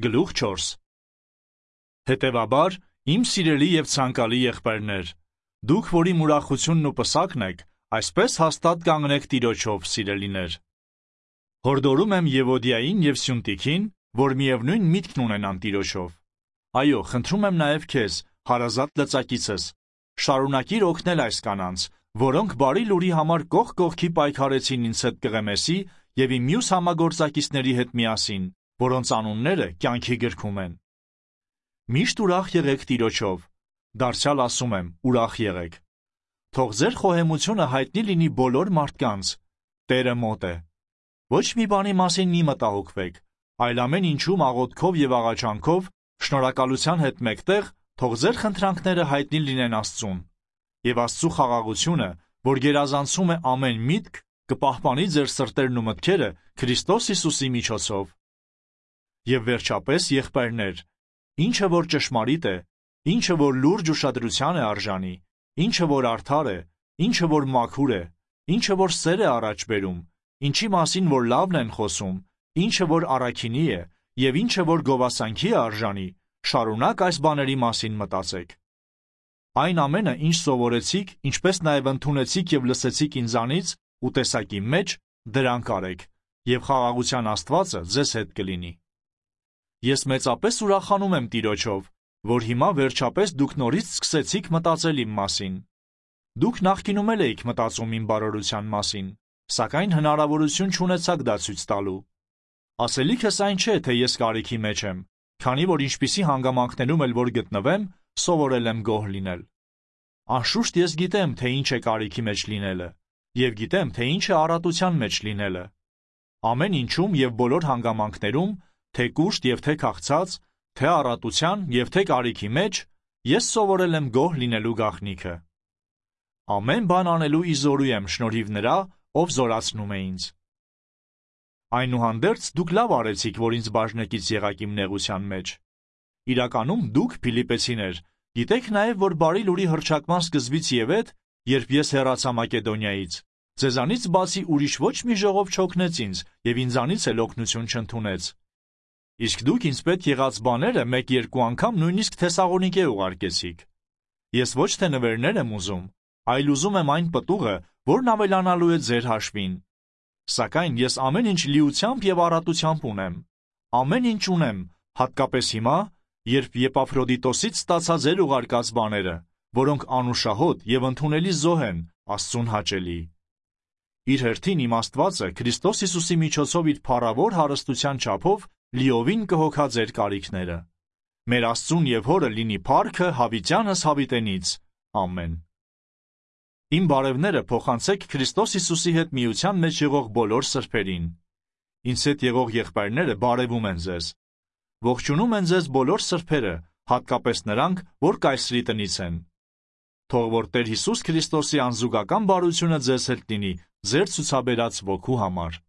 Գլուխ 4 Հետևաբար, իմ սիրելի և ցանկալի եղբայրներ, դուք, որի ուրախությունն ու պսակն եք, այսպես հաստատ կանգնեք Տիրոջով, սիրելիներ։ Հորդորում եմ Եվոդիային և Սյունտիքին, որ միևնույն միտքն ունենան Տիրոջով։ Այո, խնդրում եմ նաև քեզ, հարազատ լծակիցս, շարունակիր օգնել այս կանանց, որոնք բարի լուրի համար կողք կողքի պայքարեցին ինձ հետ Կղեմեսի և իմ մյուս համագործակիցների հետ միասին, որոնց անունները կյանքի գրքում են։ Միշտ ուրախ եղեք Տիրոջով, դարձյալ ասում եմ, ուրախ եղեք։ Թող ձեր խոհեմությունը հայտնի լինի բոլոր մարդկանց, Տերը մոտ է։ Ոչ մի բանի մասին մի մտահոգվեք, այլ ամեն ինչում աղոթքով և աղաչանքով, շնորհակալության հետ մեկտեղ, թող ձեր խնդրանքները հայտնի լինեն Աստծուն, և Աստծու խաղաղությունը, որ գերազանցում է ամեն միտք, կպահպանի ձեր սրտերն ու մտքերը Քրիստոս Հիսուսի միջոցով։ Եվ վերջապես, եղբայրներ, ինչը որ ճշմարիտ է, ինչը որ լուրջ ուշադրության է արժանի, ինչը որ արդար է, ինչը որ մաքուր է, ինչը որ սեր է առաջ բերում, ինչի մասին որ լավն են խոսում, ինչը որ առաքինի է և ինչը որ գովասանքի է արժանի, շարունակ այս բաների մասին մտածեք։ Այն ամենը, ինչ սովորեցիք, ինչպես նաև ընդունեցիք և լսեցիք ինձանից ու տեսակի մեջ, դրանք արեք, և խաղաղության Աստվածը ձեզ հետ կլինի։ Ես մեծապես ուրախանում եմ Տիրոջով, որ հիմա վերջապես դուք նորից սկսեցիք մտածել իմ մասին։ Դուք նախկինում էլ էիք մտածում իմ բարօրության մասին, սակայն հնարավորություն չունեցաք դա ցույց տալու։ Ասելիքս այն չէ, թե ես կարիքի մեջ եմ, քանի որ ինչպիսի հանգամանքներում էլ որ գտնվեմ, սովորել եմ գոհ լինել։ Անշուշտ ես գիտեմ, թե ինչ է կարիքի մեջ լինելը, և գիտեմ, թե ինչ է առատության մեջ լինելը։ Ամեն ինչում և բոլոր հանգամանքներում, թե կուշտ և թե քաղցած, թե առատության և թե կարիքի մեջ, ես սովորել եմ գոհ լինելու գաղտնիքը։ Ամեն բան անելու ի զորու եմ շնորհիվ նրա, ով զորացնում է ինձ։ Այնուհանդերձ դուք լավ արեցիք, որ ինձ բաժնեկից եղաք իմ նեղության մեջ։ Իրականում դուք, Փիլիպպեցիներ, գիտեք նաև, որ բարի լուրի հռչակման սկզբից եւ հետ, երբ ես հեռացա Մակեդոնիայից, ձեզանից բացի ուրիշ ոչ մի ժողով չօգնեց ինձ և ինձանից էլ օգնություն չընդունեց։ Իսկ դուք ինձ պետք եղած բաները մեկ-երկու անգամ նույնիսկ Թեսաղոնիկե ուղարկեցիք։ Ես ոչ թե նվերներ եմ ուզում, այլ ուզում եմ այն պտուղը, որն ավելանալու է ձեր հաշվին։ Սակայն ես ամեն ինչ լիությամբ և առատությամբ ունեմ։ Ամեն ինչ ունեմ, հատկապես հիմա, երբ Եփաֆրոդիտոսից ստացա ձեր ուղարկած բաները, որոնք անուշահոտ և ընդունելի զոհ են Աստծուն հաճելի։ Իր հերթին իմ Աստվածը Քրիստոս Հիսուսի միջոցով իր փառավոր հարստության չափով լիովին կհոգա ձեր կարիքները։ Մեր Աստծուն և Հորը լինի փառքը հավիտյանս հավիտենից։ Ամեն։ Իմ բարևները փոխանցեք Քրիստոս Հիսուսի հետ միության մեջ եղող բոլոր սրբերին։ Ինձ հետ եղող եղբայրները բարևում են ձեզ։ Ողջունում են ձեզ բոլոր սրբերը, հատկապես նրանք, որ կայսրի տնից են։ Թող որ Տեր Հիսուս Քրիստոսի անզուգական բարությունը ձեզ հետ լինի, ձեր ցուցաբերած ոգու համար։